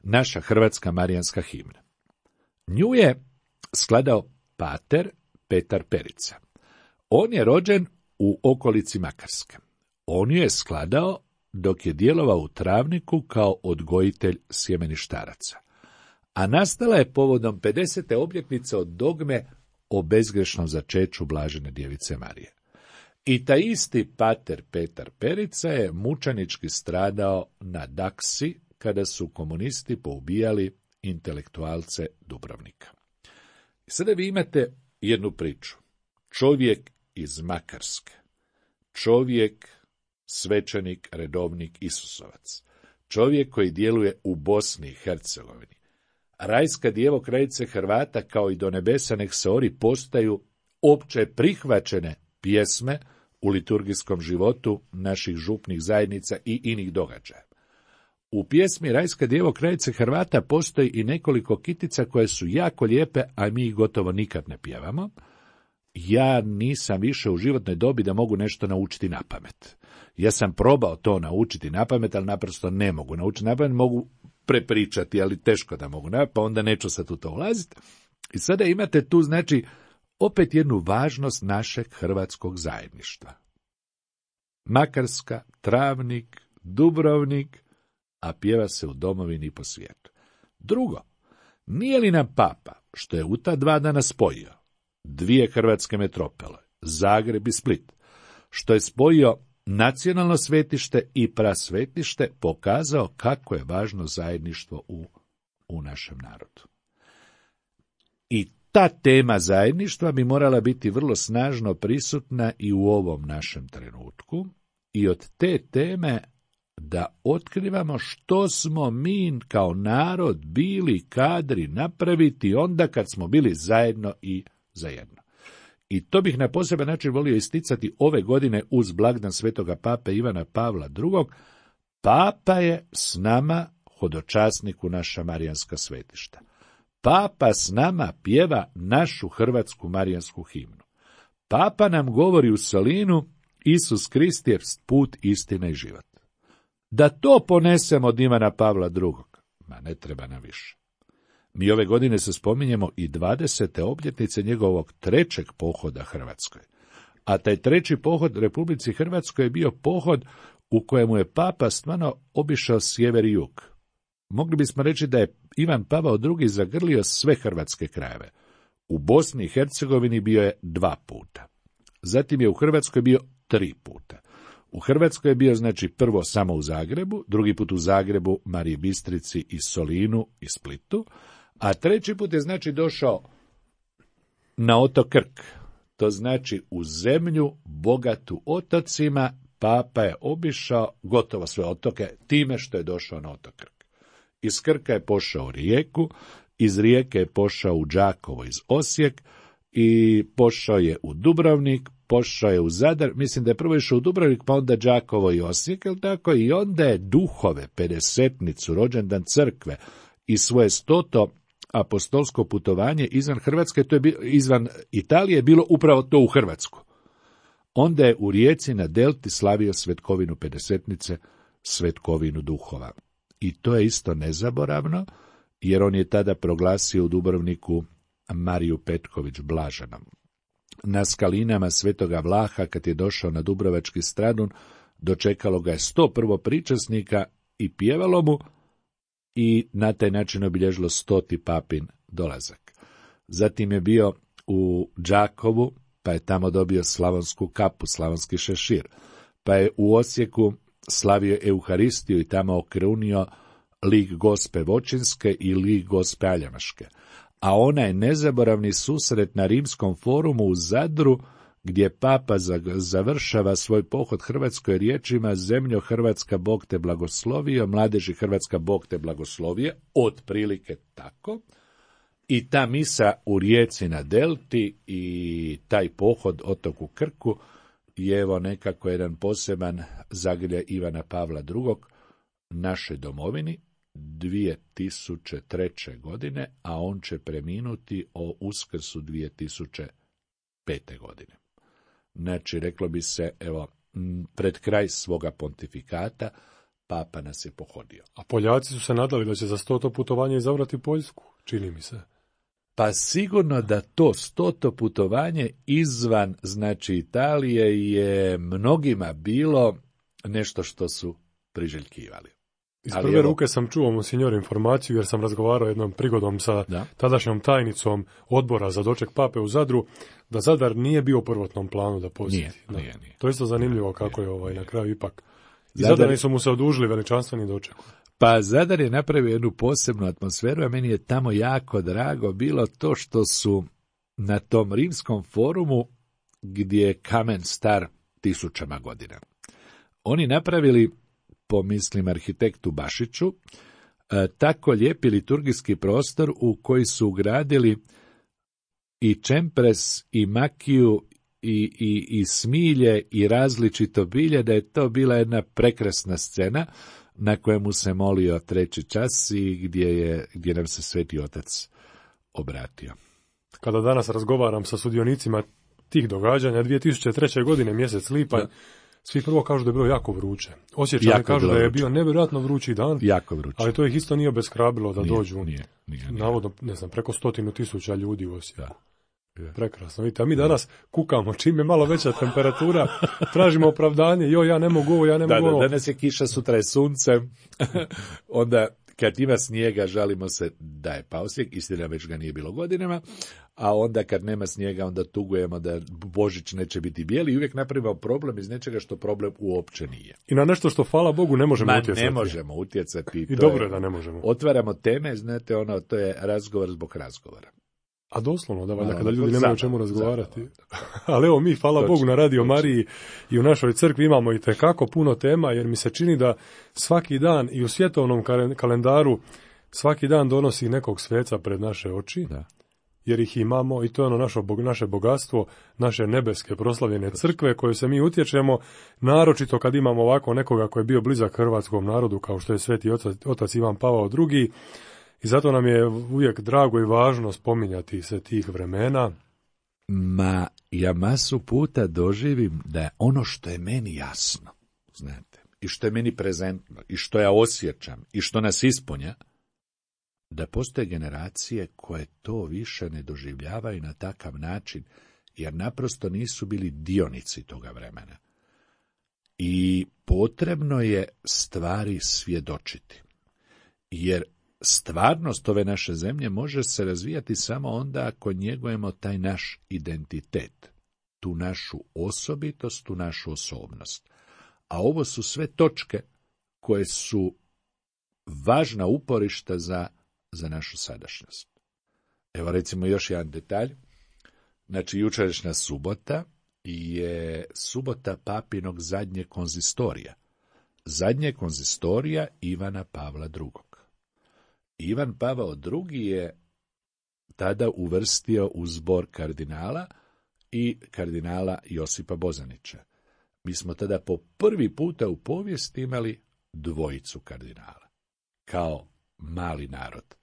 naša hrvatska marijanska himna. Nju je skladao pater Petar Perica. On je rođen u okolici Makarske. On ju je skladao dok je djelovao u Travniku kao odgojitelj sjemeništaraca. A nastala je povodom 50. obljetnice od dogme o bezgrešnom začeću blažene djevice Marije. I taj isti pater Petar Perica je mučenički stradao na Daksi, kada su komunisti poubijali intelektualce Dubrovnika. I sada vi imate jednu priču. Čovjek iz Makarske, čovjek, svećenik, redovnik, Isusovac, čovjek koji djeluje u Bosni i Hercegovini. Rajska djevo kraljice Hrvata kao i Do nebesa nek se ori postaju opće prihvaćene pjesme u liturgijskom životu naših župnih zajednica i inih događaja. U pjesmi Rajska djevo kraljice Hrvata postoji i nekoliko kitica koje su jako lijepe, a mi ih gotovo nikad ne pjevamo. Ja nisam više u životnoj dobi da mogu nešto naučiti na pamet. Ja sam probao to naučiti na pamet, ali naprosto ne mogu naučiti na pamet, mogu prepričati, ali teško da mogu, pa onda neću sad u to ulaziti. I sada imate tu, znači, opet jednu važnost našeg hrvatskog zajedništva. Makarska, Travnik, Dubrovnik, a pjeva se u domovini i po svijetu. Drugo, nije li nam Papa, što je u ta 2 dana spojio dvije hrvatske metropole, Zagreb i Split, što je spojio nacionalno svetište i prasvetište, pokazao kako je važno zajedništvo u našem narodu. I ta tema zajedništva bi morala biti vrlo snažno prisutna i u ovom našem trenutku, i od te teme da otkrivamo što smo mi kao narod bili kadri napraviti onda kad smo bili zajedno i zajedno. I to bih na poseban način volio isticati ove godine uz blagdan svetoga pape Ivana Pavla II. Papa je s nama hodočasnik u naša marijanska svetišta. Papa s nama pjeva našu hrvatsku marijansku himnu. Papa nam govori u Solinu: Isus Krist je put, istina i život. Da to ponesemo od Ivana Pavla II. Ma ne treba nam više. Mi ove godine se spominjemo i 20. obljetnice njegovog 3. pohoda Hrvatskoj. A taj 3. pohod Republici Hrvatskoj je bio pohod u kojemu je Papa stvarno obišao sjever i jug. Mogli bismo reći da je Ivan Pavao II. Zagrlio sve hrvatske krajeve. U Bosni i Hercegovini bio je 2 puta. Zatim je u Hrvatskoj bio 3 puta. U Hrvatskoj je bio, znači, prvo samo u Zagrebu, drugi put u Zagrebu, Mariji Bistrici i Solinu i Splitu, a 3. put je, znači, došao na otok Krk. To znači u zemlju bogatu otocima. Papa je obišao gotovo sve otoke time što je došao na otok Krk. Iz Krka je pošao u Rijeku, iz Rijeke je pošao u Đakovo iz Osijek i pošao je u Dubrovnik, pošao je u Zadar, mislim da je prvo išao u Dubrovnik, pa onda Đakovo i Osijek, jel tako? I onda je duhove, pedesetnicu, rođendan crkve i svoje 100. apostolsko putovanje izvan Hrvatske, to je izvan Italije, bilo upravo to u Hrvatsku. Onda je u Rijeci na Delti slavio svetkovinu pedesetnice, svetkovinu duhova. I to je isto nezaboravno, jer on je tada proglasio u Dubrovniku Mariju Petković blaženom. Na skalinama Svetoga Vlaha, kad je došao na Dubrovački Stradun, dočekalo ga je 101 pričasnika i pjevalo mu, i na taj način obilježilo 100. papin dolazak. Zatim je bio u Đakovu, pa je tamo dobio slavonsku kapu, slavonski šešir, pa je u Osijeku slavio Euharistiju i tamo okrunio lik Gospe Vočinske i lik Gospe Aljamaške. A onaj nezaboravni susret na Rimskom forumu u Zadru, gdje Papa završava svoj pohod Hrvatskoj riječima: Zemljo Hrvatska, Bog te blagoslovio, mladeži Hrvatska, Bog te blagoslovije, otprilike tako. I ta misa u Rijeci na Delti i taj pohod otoku Krku je evo nekako jedan poseban zagrljaj Ivana Pavla II. Našoj domovini 2003. godine, a on će preminuti o Uskrsu 2005. godine. Znači, reklo bi se, evo, pred kraj svoga pontifikata, Papa nas je pohodio. A Poljaci su se nadali da će za 100. putovanje izabrati Poljsku, čini mi se. Pa sigurno da to 100. putovanje izvan, znači, Italije je mnogima bilo nešto što su priželjkivali. Iz prve ruke sam čuo, monsignor, informaciju, jer sam razgovarao jednom prigodom sa tadašnjom tajnicom odbora za doček Pape u Zadru, da Zadar nije bio u prvotnom planu da posjeti. Nije. To je isto zanimljivo kako je na kraju ipak. I Zadari su mu se odužili veličanstveni doček. Pa Zadar je napravio jednu posebnu atmosferu, a meni je tamo jako drago bilo to što su na tom Rimskom forumu, gdje je kamen star 1000 godina. Oni napravili po mislim arhitektu Bašiću, tako lijepi liturgijski prostor u koji su ugradili i čempres, i makiju, i smilje, i različito bilje, da je to bila jedna prekrasna scena na kojemu se molio 3. čas i gdje nam se Sveti Otac obratio. Kada danas razgovaram sa sudionicima tih događanja, 2003. godine, mjesec lipanj, svi prvo kažu da je bilo jako vruće. Osjećani kažu da je bio nevjerojatno vrući dan, jako vruće. Ali to ih isto nije obeshrabilo da dođu. Nije. Navodno, ne znam, preko 100,000 ljudi u Osijeku. Prekrasno. Vidite, a mi danas kukamo, čim je malo veća temperatura, tražimo opravdanje, ja ne mogu ovo, ja ne mogu ovo. Danas je kiša, sutra je sunce, onda kad ima snijega žalimo se da je pao snijeg, istina već ga nije bilo godinama, a onda kad nema snijega onda tugujemo da Božić neće biti bijeli i uvijek napravimo problem iz nečega što problem uopće nije. I na nešto što, hvala Bogu, ne možemo utjecati. Ne možemo utjecati. I dobro je da ne možemo. Otvaramo teme, znate, to je razgovor zbog razgovora. A doslovno, da valjda, kada ljudi nemaju o čemu razgovarati. Ali evo, mi, hvala Bogu, na Radio Mariji i u našoj crkvi imamo i tekako puno tema, jer mi se čini da svaki dan i u svjetovnom kalendaru svaki dan donosi nekog sveca pred naše oči, jer ih imamo i to je ono naše bogatstvo, naše nebeske proslavljene crkve koje se mi utječemo, naročito kad imamo ovako nekoga koji je bio blizak hrvatskom narodu, kao što je Sveti Otac Ivan Pavao II. I zato nam je uvijek drago i važno spominjati se tih vremena. Ja masu puta doživim da je ono što je meni jasno, znate, i što je meni prezentno, i što ja osjećam, i što nas ispunja, da postoje generacije koje to više ne doživljavaju na takav način, jer naprosto nisu bili dionici toga vremena. I potrebno je stvari svjedočiti, jer stvarnost ove naše zemlje može se razvijati samo onda ako njegujemo taj naš identitet, tu našu osobitost, tu našu osobnost. A ovo su sve točke koje su važna uporišta za našu sadašnjost. Evo recimo još jedan detalj. Znači, jučerašnja subota je subota papinog zadnjeg konzistorija. Zadnje konzistorija Ivana Pavla II. Ivan Pavao II. Je tada uvrstio u zbor kardinala i kardinala Josipa Bozanića. Mi smo tada po prvi puta u povijesti imali dvojicu kardinala, kao mali narod.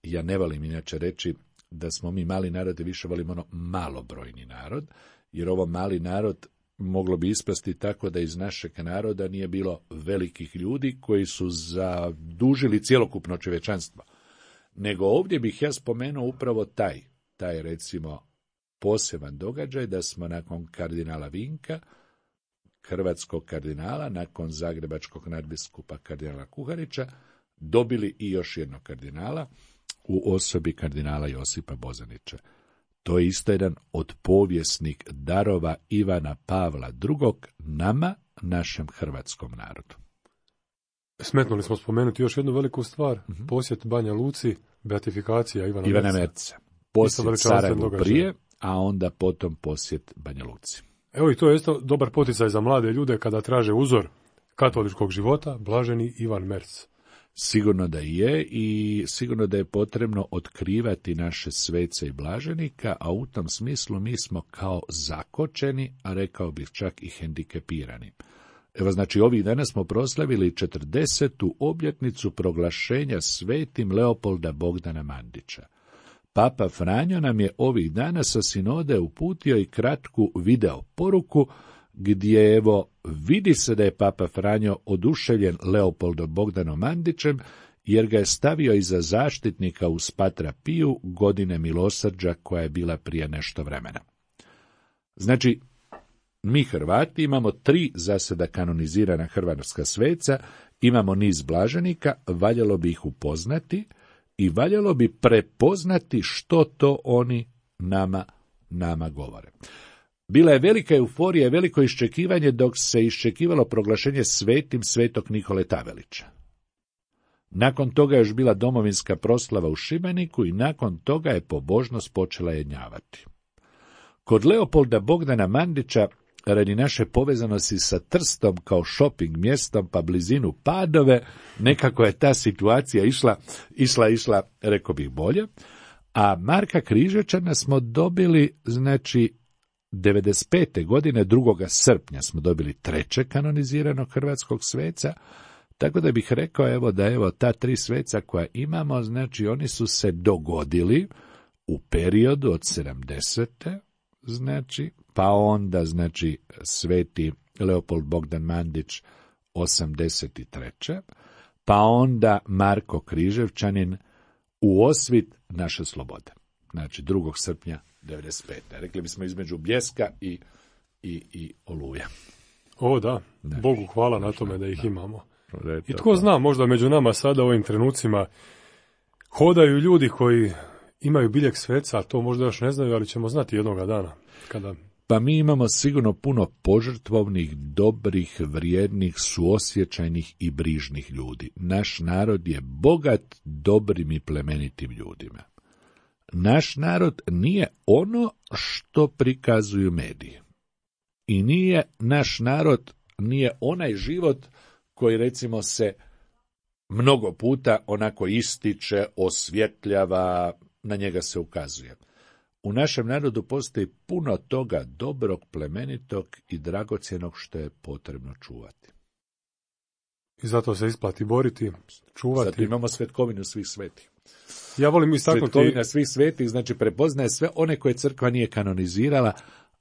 Ja ne volim inače reći da smo mi mali narod i više volimo ono malobrojni narod, jer ovo mali narod moglo bi ispasti tako da iz našeg naroda nije bilo velikih ljudi koji su zadužili cjelokupno čovječanstvo. Nego ovdje bih ja spomenuo upravo taj recimo poseban događaj da smo nakon kardinala Vinka, hrvatskog kardinala, nakon zagrebačkog nadbiskupa kardinala Kuharića, dobili i još jednog kardinala u osobi kardinala Josipa Bozanića. To je isto jedan od povijesnih darova Ivana Pavla II. Nama, našem hrvatskom narodu. Smetnuli smo spomenuti još jednu veliku stvar, posjet Banja Luci, beatifikacija Ivana Merca. Posjet Sarajevu prije, a onda potom posjet Banja Luci. Evo i to je isto dobar poticaj za mlade ljude kada traže uzor katoličkog života, blaženi Ivan Merc. Sigurno da je i sigurno da je potrebno otkrivati naše svece i blaženika, a u tom smislu mi smo kao zakočeni, a rekao bih čak i hendikepirani. Evo, znači, ovih dana smo proslavili 40. obljetnicu proglašenja svetim Leopolda Bogdana Mandića. Papa Franjo nam je ovih dana sa sinode uputio i kratku video poruku, gdje evo vidi se da je Papa Franjo oduševljen Leopoldom Bogdanom Mandićem, jer ga je stavio iza zaštitnika uz Patra Piju godine milosrđa koja je bila prije nešto vremena. Znači, mi Hrvati imamo 3 za sada kanonizirana hrvatska sveca, imamo niz blaženika, valjalo bi ih upoznati i valjalo bi prepoznati što to oni nama govore. Bila je velika euforija i veliko iščekivanje dok se iščekivalo proglašenje svetim svetog Nikole Tavelića. Nakon toga je još bila domovinska proslava u Šibeniku i nakon toga je pobožnost počela jenjavati. Kod Leopolda Bogdana Mandića radi naše povezanosti sa Trstom kao shopping mjestom, pa blizinu Padove, nekako je ta situacija išla, rekao bih, bolje. A Marka Križevčana smo dobili, znači, 95. godine, 2. srpnja smo dobili 3. kanoniziranog hrvatskog sveca, tako da bih rekao da ta 3 sveca koja imamo, znači oni su se dogodili u periodu od 70. znači, pa onda, znači, sveti Leopold Bogdan Mandić 83. pa onda Marko Križevčanin u osvit naše slobode. Znači, 2. srpnja 95. Rekli bismo između Bljeska i Oluja. O da, Bogu hvala na tome da ih imamo. I tko zna, možda među nama sada u ovim trenucima hodaju ljudi koji imaju biljeg sveca, a to možda još ne znaju, ali ćemo znati jednoga dana. Pa mi imamo sigurno puno požrtvovnih, dobrih, vrijednih, suosjećajnih i brižnih ljudi. Naš narod je bogat dobrim i plemenitim ljudima. Naš narod nije ono što prikazuju mediji. I naš narod nije onaj život koji, recimo, se mnogo puta onako ističe, osvjetljava, na njega se ukazuje. U našem narodu postoji puno toga dobrog, plemenitog i dragocjenog što je potrebno čuvati. I zato se isplati boriti, čuvati. Zato imamo svetkovinu svih svetih. Ja volim istaknuti... Svetkovina svih svetih, znači prepoznaje sve one koje crkva nije kanonizirala,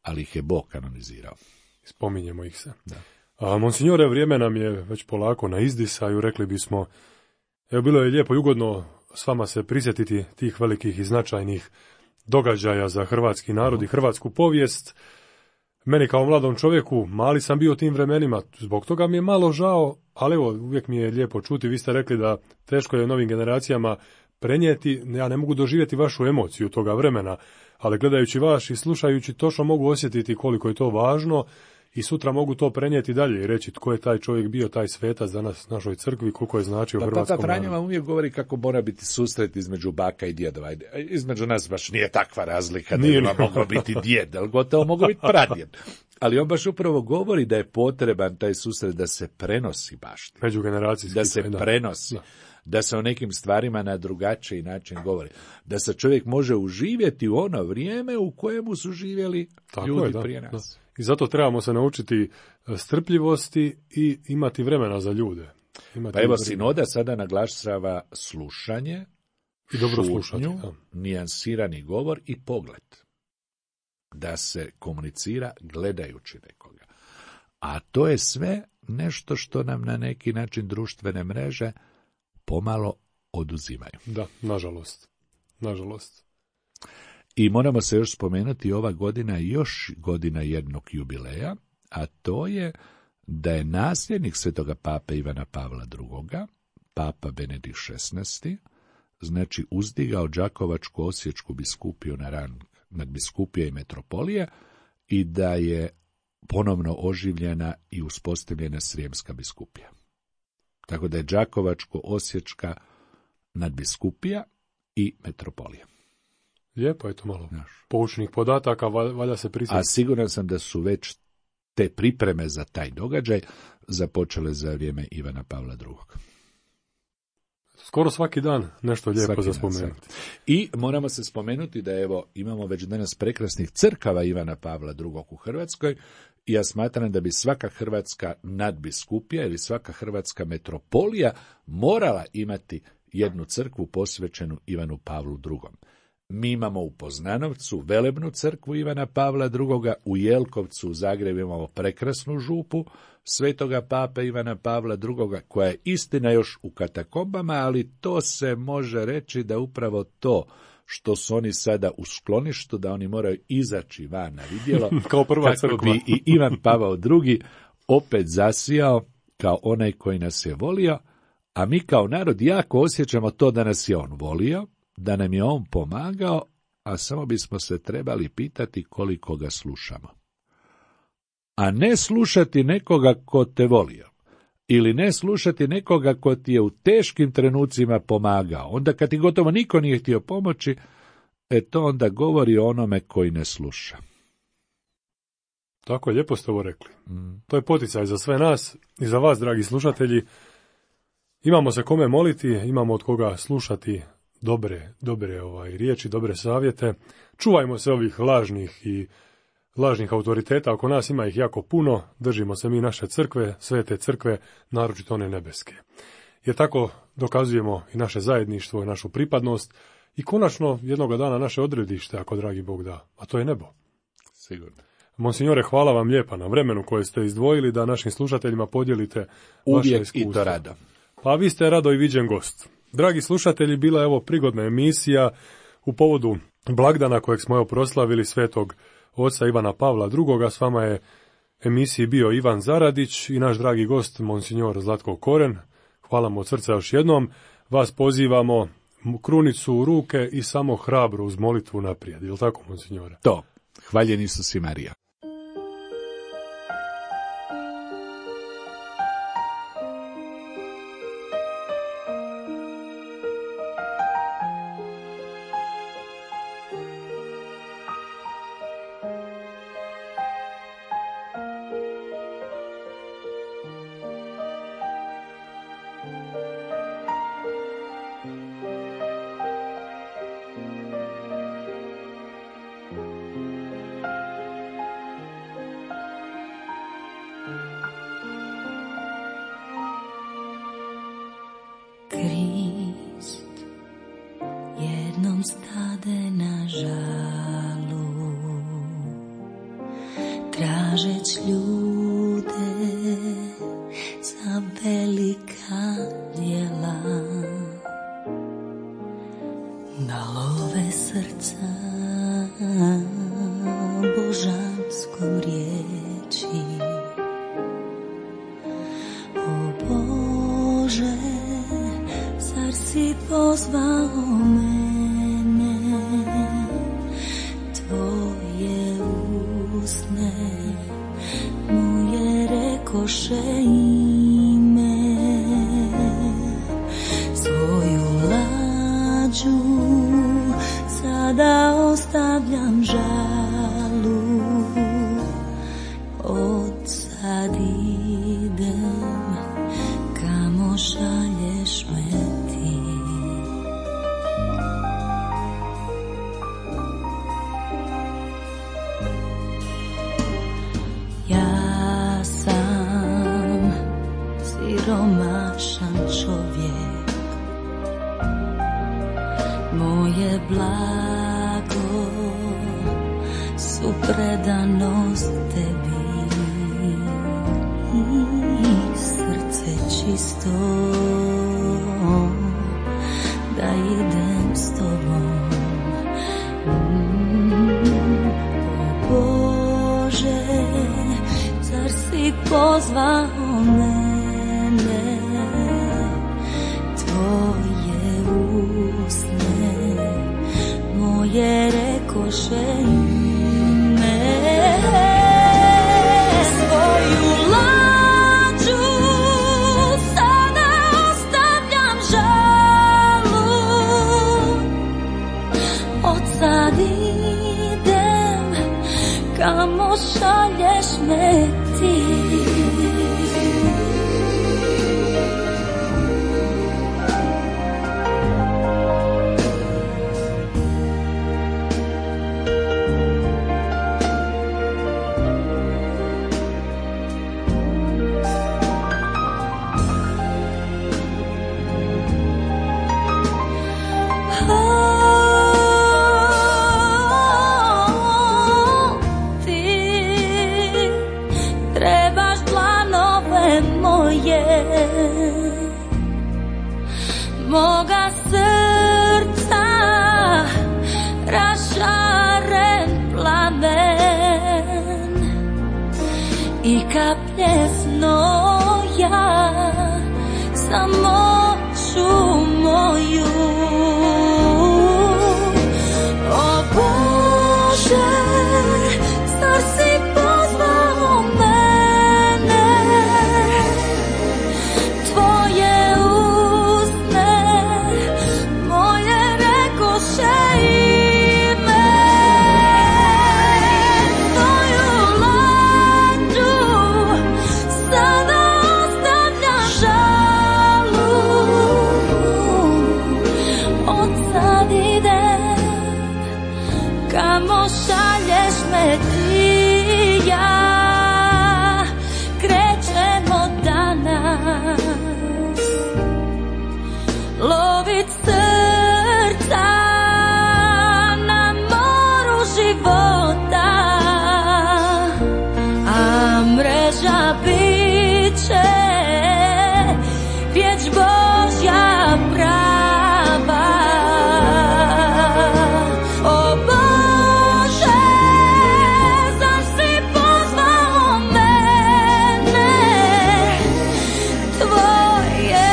ali ih je Bog kanonizirao. Spominjemo ih se. Da. A monsignore, vrijeme nam je već polako na izdisaju, rekli bismo, bilo je lijepo i ugodno s vama se prisjetiti tih velikih i značajnih događaja za hrvatski narod i hrvatsku povijest. Meni kao mladom čovjeku, mali sam bio u tim vremenima, zbog toga mi je malo žao, ali uvijek mi je lijepo čuti. Vi ste rekli da teško je novim generacijama prenijeti, ja ne mogu doživjeti vašu emociju toga vremena, ali gledajući vas i slušajući točno mogu osjetiti koliko je to važno i sutra mogu to prenijeti dalje i reći tko je taj čovjek bio, taj svetac danas u našoj crkvi, koliko je značio hrvatskom narodu. Papa Franjo vam uvijek govori kako mora biti susret između baka i djedova. Između nas baš nije takva razlika da je moglo biti djed, ali gotovo moglo biti pradjed. Ali on baš upravo govori da je potreban taj susret da se prenosi baština. Međugeneracijski. Da se prenosi. Da se o nekim stvarima na drugačiji način govori. Da se čovjek može uživjeti u ono vrijeme u kojemu su živjeli ljudi prije nas. Da. I zato trebamo se naučiti strpljivosti i imati vremena za ljude. Sinoda sada naglašava slušanje, i dobro šutnju, slušati, nijansirani govor i pogled. Da se komunicira gledajući nekoga. A to je sve nešto što nam na neki način društvene mreže pomalo oduzimaju. Da, nažalost. I moramo se još spomenuti, ova godina je još godina jednog jubileja, a to je da je nasljednik svetoga pape Ivana Pavla II, papa Benedikt XVI, znači uzdigao Đakovačku osječku biskupiju na rang nadbiskupije i metropolije i da je ponovno oživljena i uspostavljena Srijemska biskupija. Tako da je Đakovačko-osječka nadbiskupija i metropolija. Lijepo je to malo poučnih podataka, valja se prisjetiti. A siguran sam da su već te pripreme za taj događaj započele za vrijeme Ivana Pavla II. Skoro svaki dan nešto lijepo za spomenuti. I moramo se spomenuti da imamo već danas prekrasnih crkava Ivana Pavla II u Hrvatskoj i ja smatram da bi svaka hrvatska nadbiskupija ili svaka hrvatska metropolija morala imati jednu crkvu posvećenu Ivanu Pavlu II. Mi imamo u Poznanovcu velebnu crkvu Ivana Pavla II, u Jelkovcu u Zagrebu imamo prekrasnu župu svetoga pape Ivana Pavla II, koja je istina još u katakombama, ali to se može reći da upravo to što su oni sada u skloništu, da oni moraju izaći van na vidjelo, kao prva kako bi i Ivan Pavao II opet zasijao kao onaj koji nas je volio, a mi kao narod jako osjećamo to da nas je on volio, da nam je on pomagao, a samo bismo se trebali pitati koliko ga slušamo. A ne slušati nekoga ko te volio, ili ne slušati nekoga ko ti je u teškim trenucima pomagao. Onda kad ti gotovo niko nije htio pomoći, to onda govori o onome koji ne sluša. Tako je, lijepo ste ovo rekli. To je poticaj za sve nas i za vas, dragi slušatelji. Imamo se kome moliti, imamo od koga slušati dobre riječi, dobre savjete. Čuvajmo se ovih lažnih autoriteta, oko nas ima ih jako puno, držimo se mi naše crkve, svete crkve, naročito one nebeske. Jer tako dokazujemo i naše zajedništvo, i našu pripadnost i konačno jednoga dana naše odredište, ako dragi Bog da, a to je nebo. Sigurno. Monsignore, hvala vam lijepa na vremenu koje ste izdvojili da našim slušateljima podijelite vaše iskustvo. Uvijek i to rado. Pa vi ste rado i viđen gost. Dragi slušatelji, bila je ovo prigodna emisija u povodu blagdana kojeg smo proslavili svetog oca Ivana Pavla II. S vama je emisiji bio Ivan Zaradić i naš dragi gost, monsignor Zlatko Koren. Hvala mu od srca još jednom. Vas pozivamo krunicu u ruke i samo hrabro uz molitvu naprijed. Je li tako, monsignore? To. Hvaljen Isus i Marija. Krist jednom stade na žalu, tražeć ljude za velika djela, da love srca božanskom riječi. O Bože, zar si pozvao mene, tvoje usne mu je rekoše ime, svoju lađu sada ostavljam žalu, odsad idem kamo šalješ me ti. Ja sam siromašan čovjek, moje blago su predanost tebi i srce čisto da idem s tobom. O Bože, zar si pozvao mene, tvoje usne moje rekoše ime, svoju lađu sada ostavljam žalu, odsad idem kamo šalješ me ti. Moga srca rašaren plamen i kaplje znoja samoću moju. O Bože, zar si pozvao mene, tvoje usne moje rekoše ime, tvoju lađu plavit srca na moru života, a mreža bit će riječ Božja prava. O Bože, zaš si pozvao mene, tvoje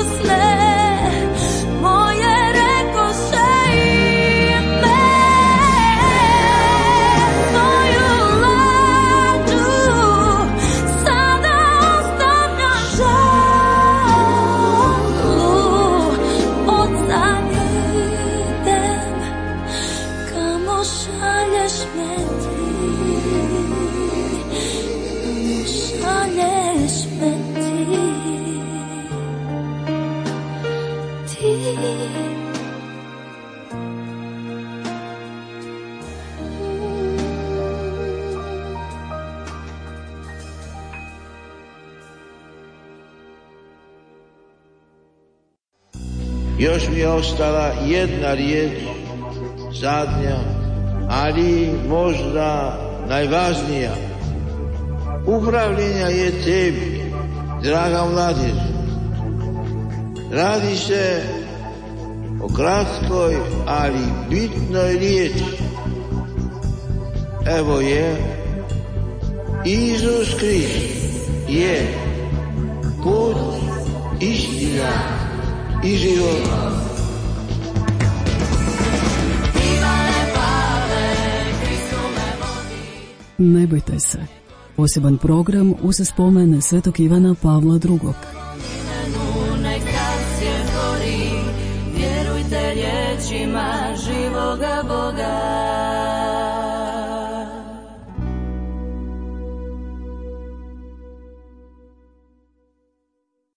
usne moje rekoše ime, svoju lađu sada ostavljam žalu, oca idem kamo šalješ me ti, kamo šalješ me ti. Još mi je ostala jedna riječ, zadnja, ali možda najvažnija. Upravljenja je tebi, draga mladež. Radi se o kratkoj, ali bitnoj riječi. Evo je, Isus Krist je put, istina i život. Ne bojte se. Poseban program uz spomen Svetog Ivana Pavla II. Nek srce gori, vjerujte riječima živoga Boga.